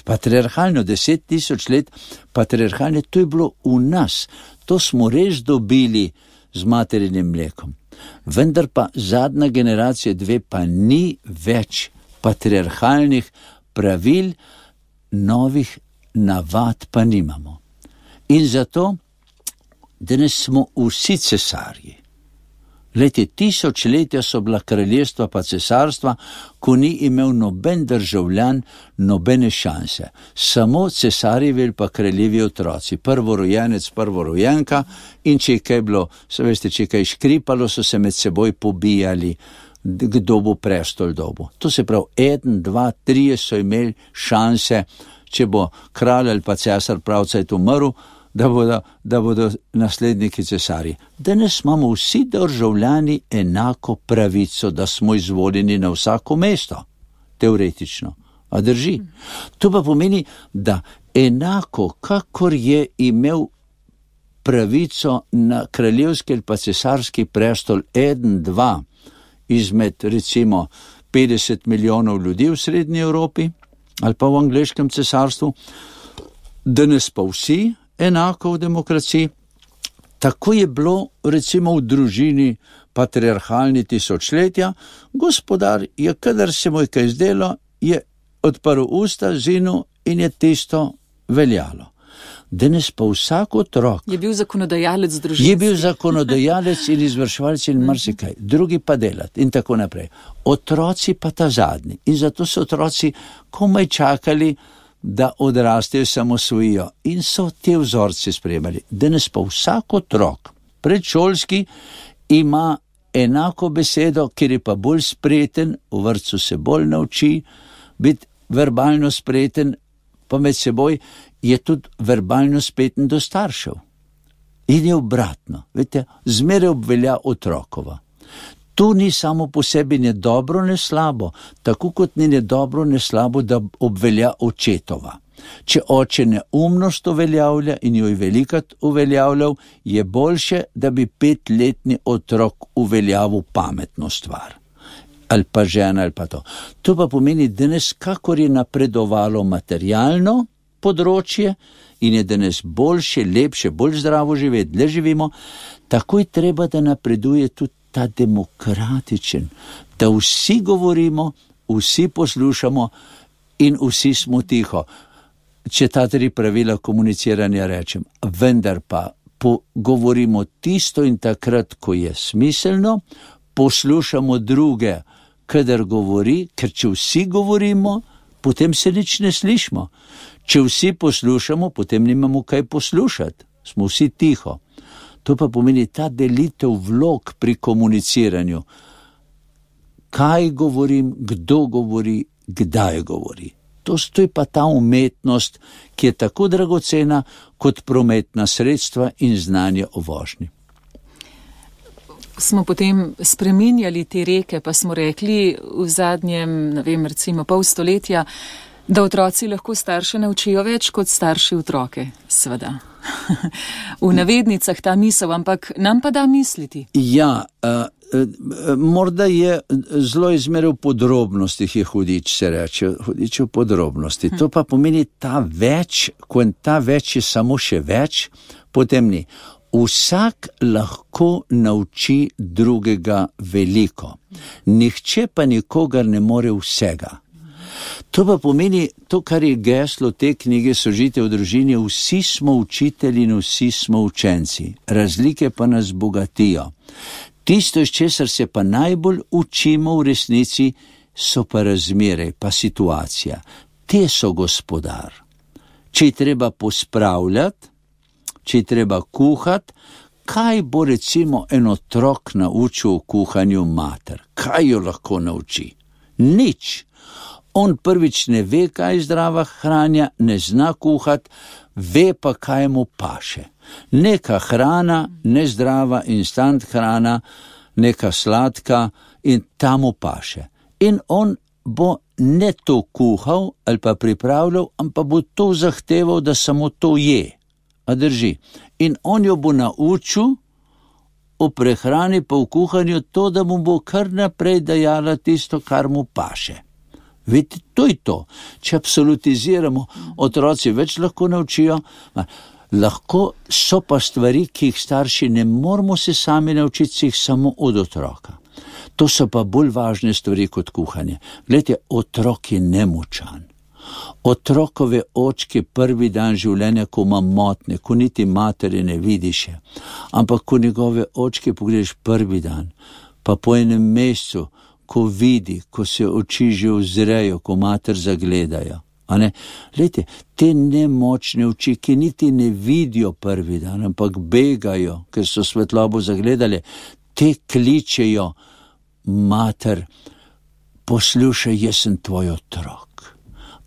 Patriarhalno, 10 000 let patriarhalne, to je bilo v nas. To smo res dobili z materinim mlekom. Vendar pa zadnja generacija 2 pa ni več patriarhalnih pravil, novih navad pa nimamo. In zato danes smo vsi cesarji. Leti, tisočletja so bila kraljestva pa cesarstva, ko ni imel noben državljan nobene šanse. Samo cesarjevi pa kraljevi otroci, prvorojenec, prvorojenka, in če je kaj bilo, se veste, če je kaj škripalo, so se med seboj pobijali, kdo bo prestol dobil. To se pravi, 1, 2, 3 so imeli šanse, če bo kralj ali pa cesar pravcajt umrl, da bodo nasledniki cesarji. Danes imamo vsi državljani enako pravico, da smo izvoljeni na vsako mesto, teoretično. A drži? To pa pomeni, da enako, kakor je imel pravico na kraljevski ali pa cesarski prestol 1, 2 izmed recimo 50 milijonov ljudi v Srednji Evropi ali pa v angleškem cesarstvu, danes pa vsi enako v demokraciji. Tako je bilo recimo v družini patriarhalni tisočletja. Gospodar je, kadar se mu je kaj zdelo, je odprl usta, zinil in je tisto veljalo. Danes pa vsak otrok je bil zakonodajalec družine. Je bil zakonodajalec in izvrševalec in marsikaj, drugi pa delati in tako naprej. Otroci pa ta zadnji. In zato so otroci komaj čakali, da odrastejo, samosvojijo in so te vzorce sprejemali. Danes pa vsak otrok, predšolski, ima enako besedo, ker je pa bolj spreten, v vrtcu se bolj nauči biti verbalno spreten, pa med seboj je tudi verbalno speten do staršev. In je obratno, veste, zmeraj obvelja otrokova. To ni samo po sebi ne dobro, ne slabo, tako kot ni ne dobro, ne slabo, da obvelja očetova. Če oče neumnost uveljavlja in jo je velikrat uveljavljal, je boljše, da bi 5-letni otrok uveljavil pametno stvar. Ali pa žena, ali pa to. To pa pomeni, danes, kakor je napredovalo materialno področje in je danes boljše, lepše, bolj zdravo živeti, dlje živimo, tako je treba, da napreduje tudi ta demokratičen, da vsi govorimo, vsi poslušamo in vsi smo tiho. Če ta 3 pravila komuniciranja rečem, vendar pa govorimo tisto in takrat, ko je smiselno, poslušamo druge, kadar govori, ker če vsi govorimo, potem se nič ne slišimo. Če vsi poslušamo, potem nimamo kaj poslušati, smo vsi tiho. To pa pomeni ta delitev vlog pri komuniciranju. Kaj govorim, kdo govori, kdaj govori. To je pa ta umetnost, ki je tako dragocena kot prometna sredstva in znanje o vožnji. Smo potem spreminjali te reke, pa smo rekli v zadnjem, recimo pol stoletja, da otroci lahko starše naučijo več kot starši otroke, seveda. V navednicah ta misel, ampak nam pa da misliti. Ja, morda je zelo izmeril v podrobnostih, je hudič, se reče, hudič v podrobnosti. To pa pomeni ta več, ko ta več je samo še več, potem ni. Vsak lahko nauči drugega veliko. Nihče pa nikogar ne more vsega. To pa pomeni, to, kar je geslo te knjige Sožitje v družini, vsi smo učitelji in vsi smo učenci. Razlike pa nas bogatijo. Tisto, iz česar se pa najbolj učimo v resnici, so pa razmere, pa situacija. Te so gospodar. Če je treba pospravljati, če je treba kuhati, kaj bo recimo en otrok naučil o kuhanju mater? Kaj jo lahko nauči? Nič. On prvič ne ve, kaj je zdrava hrana, ne zna kuhati, ve pa, kaj mu paše. Neka hrana, nezdrava, instant hrana, neka sladka in ta mu paše. In on bo ne to kuhal ali pa pripravljal, ampak bo to zahteval, da samo to je. A drži. In on jo bo naučil o prehrani pa v kuhanju to, da mu bo kar naprej dajala tisto, kar mu paše. Vidite, to je to. Če absolutiziramo, otroci več lahko naučijo, lahko so pa stvari, ki jih starši ne moramo se sami naučiti, si jih samo od otroka. To so pa bolj važne stvari kot kuhanje. Glejte, otrok je nemočan. Otrokove očke prvi dan življenja, ko ima motne, ko niti matere ne vidiš je. Ampak ko njegove očke pogledaš prvi dan, pa po enem mesecu, ko vidi, ko se oči že ozrejo, ko mater zagledajo. Glejte, te nemočne oči, ki niti ne vidijo prvi dan, ampak begajo, ker so svetlobo zagledali, te kličejo, mater, poslušaj, jaz sem tvoj otrok.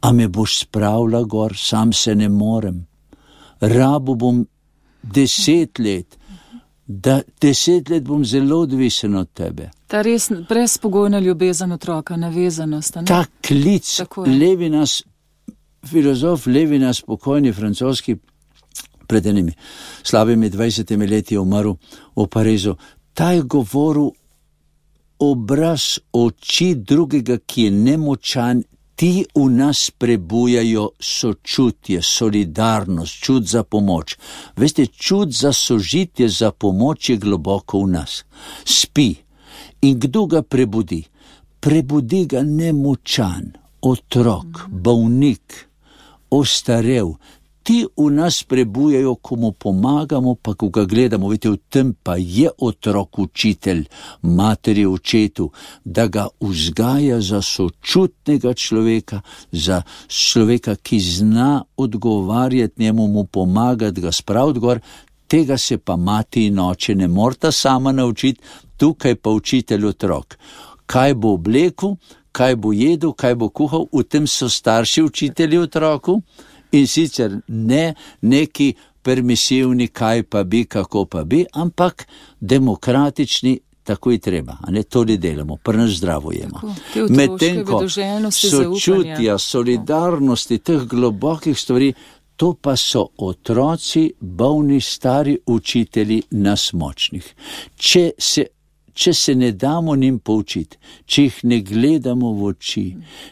A me boš spravila gor, sam se ne morem. Rabu bom 10 let, 10 let bom zelo odvisen od tebe. Ta res brezpogojna ljubezen otroka, navezanost. Ta klic, Levinas, filozof Levinas, pokojni francoski, pred enimi slabimi 20 leti je umrl v Parizu, ta je govoril obraz oči drugega, ki je nemočan. Ti v nas prebujajo sočutje, solidarnost, čut za pomoč. Veste, čut za sožitje, za pomoč je globoko v nas. Spi. In kdo ga prebudi? Prebudi ga nemočan, otrok, bolnik, ostarel. Ti v nas prebujajo, ko mu pomagamo, pa ko ga gledamo. Veste, v tem pa je otrok učitelj, materi očetu, da ga vzgaja za sočutnega človeka, za človeka, ki zna odgovarjati njemu, mu pomagati, ga spraviti gor. Tega se pa mati in oče ne morata sama naučiti, tukaj pa učitelj otrok. Kaj bo oblekel, kaj bo jedel, kaj bo kuhal, v tem so starši učitelji otroku. In sicer ne neki permisivni, kaj pa bi, kako pa bi, ampak demokratični, tako je treba. To li delamo, pri nas zdravo jemo. Medtem ko sočutja, solidarnosti, teh globokih stvari, to pa so otroci, bolni, stari učitelji nas močnih. Če se ne damo njim poučiti, če jih ne gledamo v oči,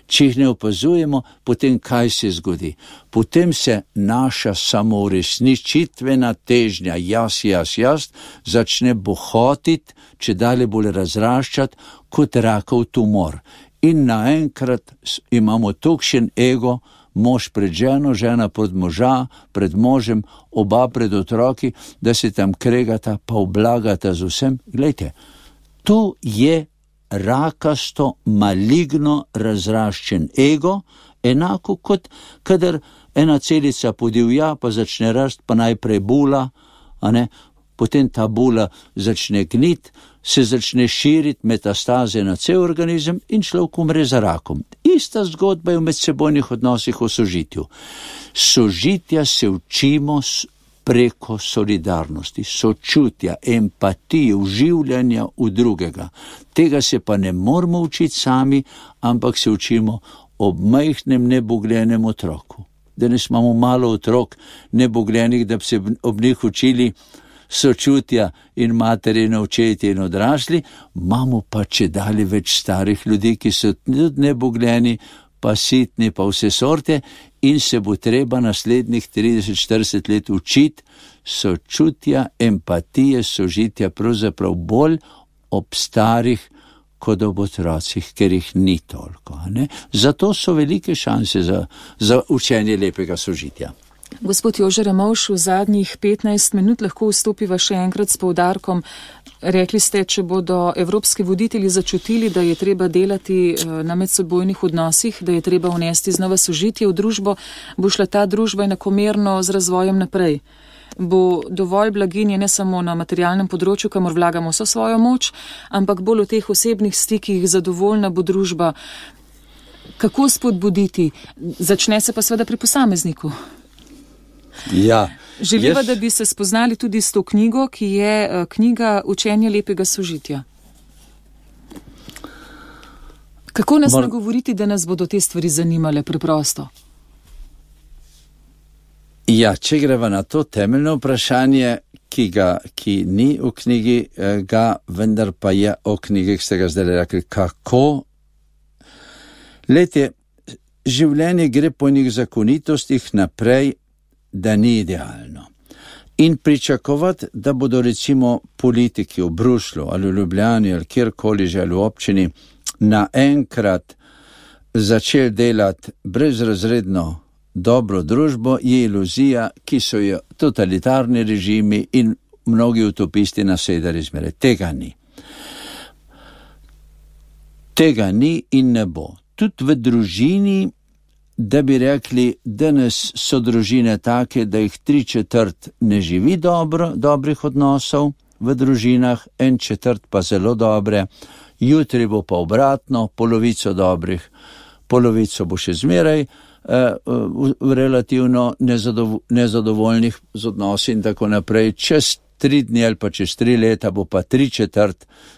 če jih ne opazujemo, potem kaj se zgodi? Potem se naša samouresničitvena težnja, jaz, začne bohotiti, če dalje bolj razraščati, kot rakov tumor. In naenkrat imamo tokšen ego, mož pred ženo, žena pod moža, pred možem, oba pred otroki, da se tam kregata, pa oblagata z vsem. Glejte, to je rakasto, maligno razraščen ego, enako kot kadar ena celica podivja, pa začne rast, pa najprej bula, potem ta bula začne gniti, se začne širiti metastaze na cel organizem in človek umre za rakom. Ista zgodba je v medsebojnih odnosih o sožitju. Sožitja se učimo preko solidarnosti, sočutja, empatije, uživljanja v drugega. Tega se pa ne moramo učiti sami, ampak se učimo ob majhnem nebogljenem otroku. Danes imamo malo otrok nebogljenih, da bi se ob njih učili sočutja in materi, očetje in odrasli, imamo pa čedalje več starih ljudi, ki so tudi nebogljeni, pa sitni, pa vse sorte, in se bo treba naslednjih 30-40 let učiti sočutja, empatije, sožitja, pravzaprav bolj ob starih kot ob otrocih, ker jih ni toliko. Zato so velike šanse za učenje lepega sožitja. Gospod Jože Ramovš, v zadnjih 15 minut lahko vstopiva še enkrat s poudarkom. Rekli ste, če bodo evropski voditelji začutili, da je treba delati na medsebojnih odnosih, da je treba vnesti znova sožitje v družbo, bo šla ta družba enakomerno z razvojem naprej. bo dovolj blaginje ne samo na materialnem področju, kamor vlagamo vso svojo moč, ampak bolj v teh osebnih stikih, zadovoljna bo družba. Kako spodbuditi? Začne se pa seveda pri posamezniku. Ja. Želiva, da bi se spoznali tudi s to knjigo, ki je knjiga Učenje lepega sožitja. Kako nas nagovoriti, da nas bodo te stvari zanimale preprosto? Ja, če greva na to temeljno vprašanje, ki ni v knjigi, vendar pa je o knjigi, ki ste ga zdaj rekli, kako. Lejte, življenje gre po njih zakonitostih naprej, da ni idealno. In pričakovati, da bodo recimo politiki v Bruslju ali v Ljubljani ali kjerkoli že ali v občini naenkrat začeli delati brezrazredno dobro družbo, je iluzija, ki so jo totalitarni režimi in mnogi utopisti nasedali zmeraj. Tega ni. Tega ni in ne bo. Tudi v družini, da bi rekli, danes so družine take, da jih 3/4 ne živi dobrih odnosov v družinah, 1/4 pa zelo dobre, jutri bo pa obratno, polovico dobrih, polovico bo še zmeraj relativno nezadovoljnih z odnosi in tako naprej. Čez 3 dni ali pa čez 3 leta bo pa 3/4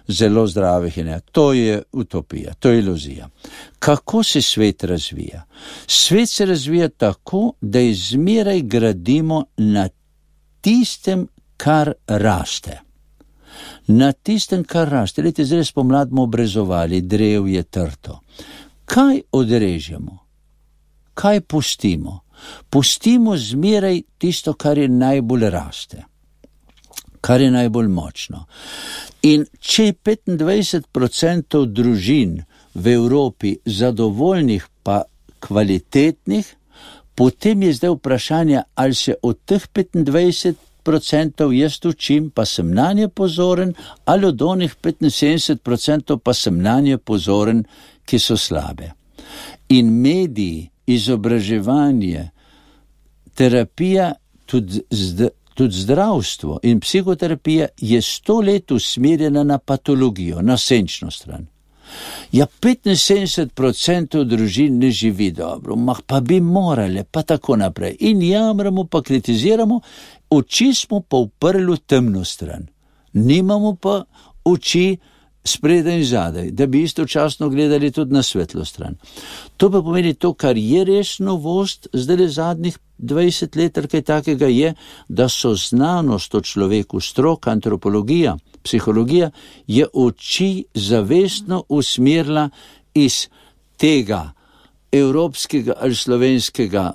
zelo zdravih in ne. To je utopija, to je iluzija. Kako se svet razvija? Svet se razvija tako, da izmeraj gradimo na tistem, kar raste. Na tistem, kar raste. Lejte, zdaj spomlad bomo obrezovali, drev je trto. Kaj odrežemo? Kaj pustimo? Pustimo zmeraj tisto, kar je najbolj raste, kar je najbolj močno. In če je 25% družin v Evropi zadovoljnih pa kvalitetnih, potem je zdaj vprašanje, ali se od teh 25% jaz učim, pa sem nanje pozoren, ali od onih 75% pa sem nanje pozoren, ki so slabe. In mediji, izobraževanje, terapija, tudi zdravstvo in psihoterapija je 100 let usmerjena na patologijo, na senčno stran. Ja, 75% družin ne živi dobro, pa bi morale, pa tako naprej. In jamramo, pa kritiziramo, oči smo pa uprli v temno stran. Nimamo pa oči spredaj in zadaj, da bi istočasno gledali tudi na svetlo stran. To pa pomeni to, kar je res novost, zdaj zadnjih 20 let, kaj takega je, da so znanost o človeku, stroka, antropologija, psihologija, je oči zavestno usmerila iz tega evropskega ali slovenskega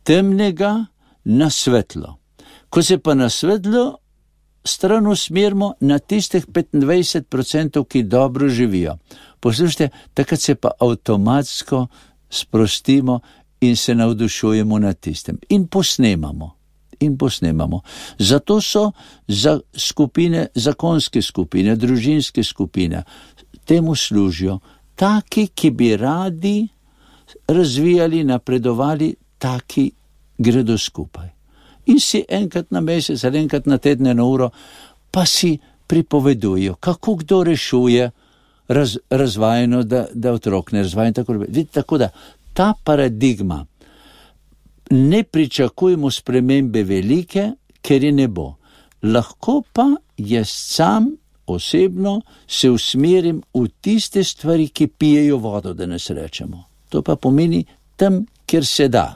temnega na svetlo. Ko se pa na svetlo stran usmerimo na tistih 25%, ki dobro živijo. Poslušajte, takrat se pa avtomatsko sprostimo in se navdušujemo nad tistem. In posnemamo. Zato so za skupine, zakonske skupine, družinske skupine, temu služijo taki, ki bi radi razvijali, napredovali, taki gredo skupaj. In si enkrat na mesec ali enkrat na teden, na uro, pa si pripovedujo, kako kdo rešuje razvajeno, da otrok ne razvaja in tako naprej. Vidite, tako da ta paradigma, ne pričakujemo spremembe velike, ker je ne bo. Lahko pa jaz sam osebno se usmerim v tiste stvari, ki pijejo vodo, da nas rečemo. To pa pomeni tam, kjer se da.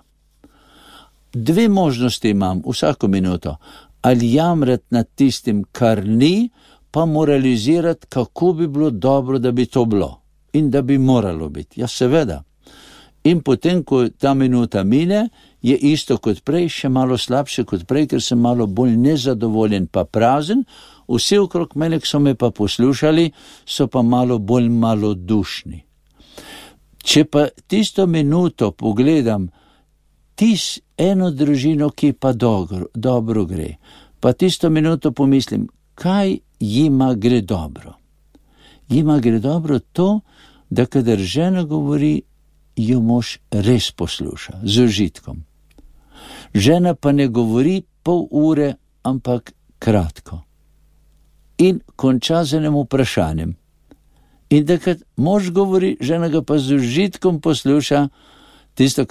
2 možnosti imam vsako minuto. Ali jamrati nad tistim, kar ni, pa moralizirati, kako bi bilo dobro, da bi to bilo. In da bi moralo biti. Ja, seveda. In potem, ko ta minuta mine, je isto kot prej, še malo slabše kot prej, ker sem malo bolj nezadovoljen pa prazen. Vsi okrog mene, ki so me pa poslušali, so pa malo bolj malodušni. Če pa tisto minuto pogledam, eno družino, ki pa dobro gre, pa tisto minuto pomislim, kaj jima gre dobro. Jima gre dobro to, da kadar žena govori, jo mož res posluša, z užitkom. Žena pa ne govori pol ure, ampak kratko. In konča z enim vprašanjem. In takrat mož govori, žena ga pa z užitkom posluša tisto,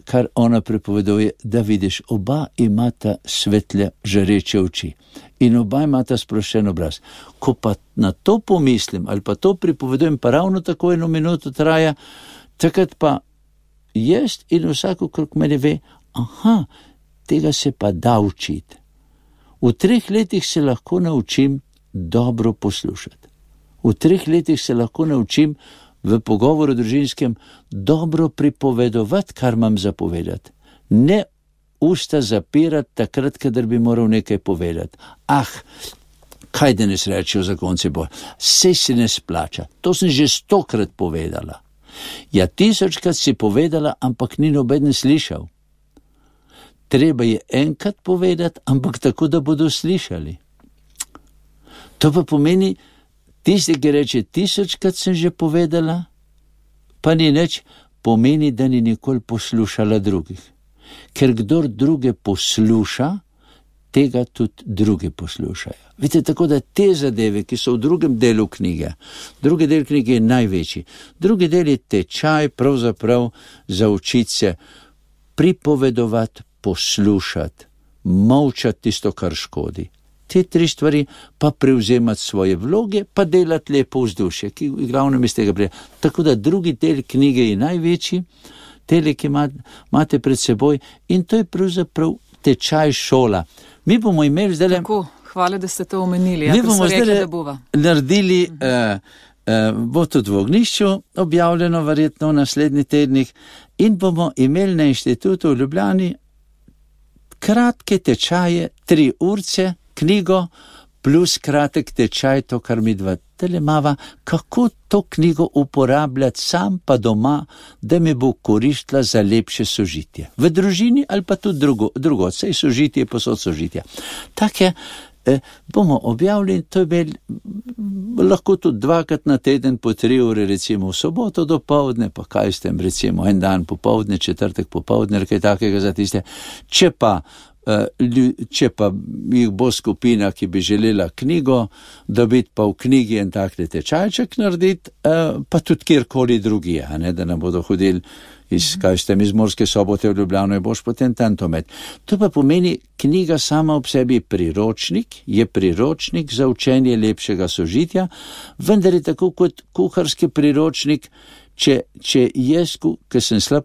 kar ona pripoveduje, da vidiš, oba imata svetle, žareče oči in oba imata sproščen obraz. Ko pa na to pomislim ali pa to pripovedujem, pa ravno tako 1 minuto traja, takrat pa jaz in vsak okrog mene ve, tega se pa da učiti. V 3 letih se lahko naučim dobro poslušati. V 3 letih se lahko naučim v pogovoru družinskem dobro pripovedovati, kar imam zapovedati. Ne usta zapirati takrat, kadar bi moral nekaj povedati. Kaj danes rečejo zakonci Božji? Saj se ne splača. To sem že 100-krat povedala. Ja, 1000-krat si povedala, ampak ni noben slišal. Treba je enkrat povedati, ampak tako, da bodo slišali. To pa pomeni, tisti, ki reče 1000-krat sem že povedala, pa ni nič, pomeni, da ni nikoli poslušala drugih. Ker kdor druge posluša, tega tudi drugi poslušajo. Vidite, tako da te zadeve, ki so v drugem delu knjige, drugi del knjige je največji, drugi del je tečaj pravzaprav za učiti se pripovedovati, poslušati, molčati tisto, kar škodi. Te 3 stvari pa prevzemati svoje vloge, pa delati lepo vzdušje, ki glavnem iz tega prije. Tako da drugi del knjige je največji, tele, ki imate pred seboj, in to je pravzaprav tečaj šola. Mi bomo imeli zdaj... Tako, hvala, da ste to omenili. Mi bomo zdaj naredili, bo tudi v Ognjišču objavljeno verjetno v naslednjih tednih, in bomo imeli na inštitutu v Ljubljani kratke tečaje, 3 urce, knjigo, plus kratek tečaj, to, kar mi dva telemava, kako to knjigo uporabljati sam pa doma, da mi bo koristila za lepše sožitje. V družini ali pa tudi drugo, saj sožitje, posod sožitja. Take bomo objavili, to je lahko tudi 2-krat na teden po 3 ure, recimo v soboto do povdne, pa kaj s tem, recimo en dan popovdne, četrtek popovdne, kaj takega za tiste. Če pa jih bo skupina, ki bi želela knjigo dobiti, pa v knjigi en takle tečajček narediti, pa tudi kjerkoli drugi, da nam bodo hodili iz Murske Sobote v Ljubljano, je boš potem tantomet. To pa pomeni, knjiga sama ob sebi je priročnik za učenje lepšega sožitja, vendar je tako kot kuharski priročnik. Če jaz, ker sem slab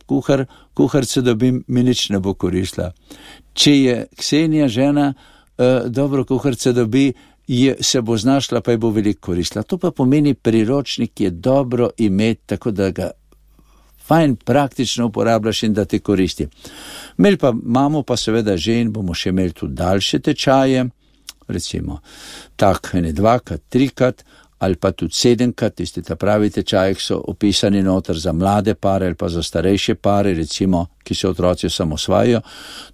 kuharca dobim, mi nič ne bo koristila. Če je Ksenija žena dobro kuharca dobi, se bo znašla, pa je bo veliko koristila. To pa pomeni, priročnik je dobro imeti, tako da ga fajn praktično uporabljaš in da ti koristi. Imamo pa seveda že in bomo še imeli tudi daljše tečaje, recimo tak, 2-krat, 3-krat, ali pa tudi 7-krat, tisti ta pravi tečaji, ki so opisani noter za mlade pare ali pa za starejše pare, recimo, ki se otroci osamosvajajo.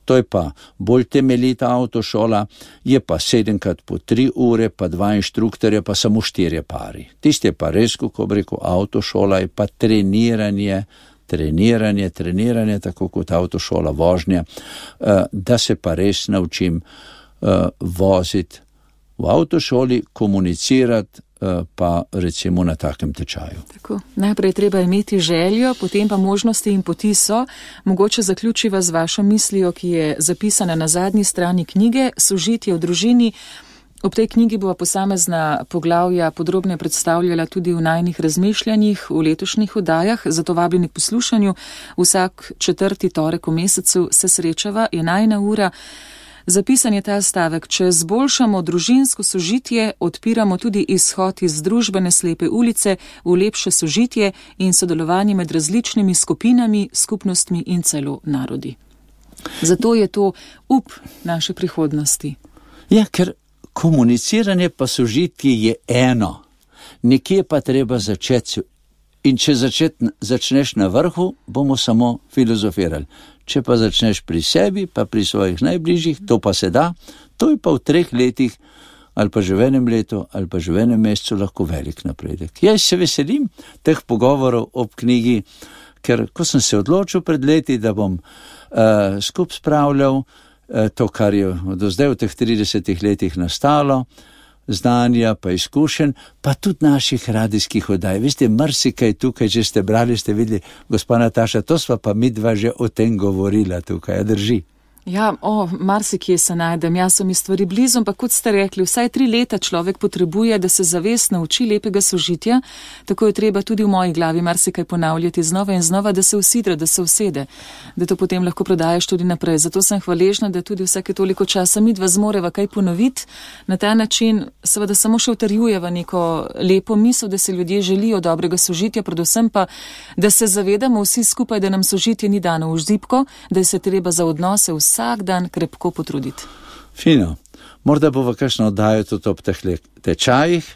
To je pa bolj temeljita avtošola, je pa 7-krat po 3 ure, pa 2 inštruktorja, pa samo 4 pari. Tisti je pa res, kako bi rekel, avtošola je pa treniranje, tako kot avtošola vožnja, da se pa res naučim voziti v avtošoli, komunicirati, pa recimo na takem tečaju. Tako, najprej treba imeti željo, potem pa možnosti in poti so. Mogoče zaključiva z vašo mislijo, ki je zapisana na zadnji strani knjige, Sožitje v družini. Ob tej knjigi bova posamezna poglavja podrobno predstavljala tudi v najnih razmišljanjih v letošnjih oddajah, zato vabljeni k poslušanju. Vsak 4. torek v mesecu se srečava, je najina ura. Zapisan je ta stavek: če zboljšamo družinsko sožitje, odpiramo tudi izhod iz družbene slepe ulice v lepše sožitje in sodelovanje med različnimi skupinami, skupnostmi in celo narodi. Zato je to up naše prihodnosti. Ja, ker komuniciranje pa sožitje je eno. Nekje pa treba začeti. In če začneš na vrhu, bomo samo filozofirali. Če pa začneš pri sebi, pa pri svojih najbližjih, to pa se da, to je pa v 3 letih, ali pa že v 1 letu, ali pa že v 1 mesecu lahko velik napredek. Jaz se veselim teh pogovorov ob knjigi, ker ko sem se odločil pred leti, da bom skup spravljal to, kar je do zdaj v teh 30 letih nastalo, znanja, pa izkušenj, pa tudi naših radijskih oddaj. Veste, marsikaj tukaj, če ste brali, ste videli, gospa Nataša, to sva pa midva že o tem govorila tukaj, drži. Ja, marsikje se najdem, jaz so mi stvari blizu, ampak kot ste rekli, vsaj 3 leta človek potrebuje, da se zavest nauči lepega sožitja, tako je treba tudi v moji glavi marsikaj ponavljati znova in znova, da se usidra, da se usede, da to potem lahko prodajaš tudi naprej. Zato sem hvaležna, da tudi vsake toliko časa midva zmoreva kaj ponoviti, na ta način seveda samo še utrjujeva neko lepo misel, da se ljudje želijo dobrega sožitja, predvsem pa, da se zavedamo vsi skupaj, da nam sožitje ni dano v zibko, da se treba za odnose vsak dan krepko potruditi. Fino. Morda bo v kakšno oddajo tudi ob teh tečajih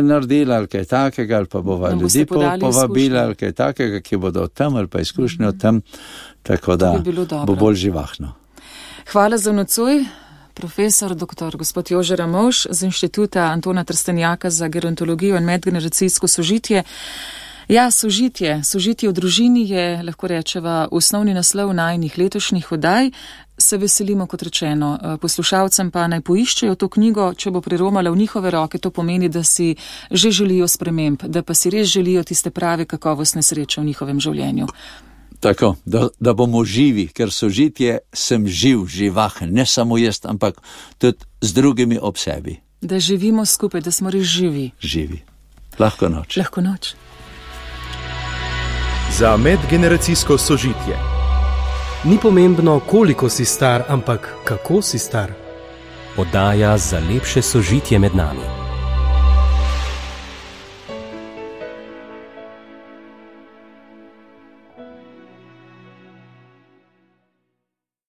naredila ali kaj takega, ali pa bova ljudi povabila ali kaj takega, ki bodo tam ali pa izkušnje o tem, tako da bo bolj živahno. Hvala za nocoj, profesor dr. gospod Jože Ramovš z Inštituta Antona Trstenjaka za gerontologijo in medgeneracijsko sožitje. Ja, sožitje v družini je, lahko rečeva, osnovni naslov najinih letošnjih oddaj. Se veselimo, kot rečeno, poslušalcem pa naj poiščejo to knjigo, če bo priromala v njihove roke, to pomeni, da si že želijo sprememb, da pa si res želijo tiste prave kakovostne sreče v njihovem življenju. Tako, da bomo živi, ker sožitje sem živahen, ne samo jaz, ampak tudi z drugimi ob sebi. Da živimo skupaj, da smo res živi. Živi. Lahko noč. Lahko noč. Za medgeneracijsko sožitje. Ni pomembno, koliko si star, ampak kako si star. Oddaja za lepše sožitje med nami.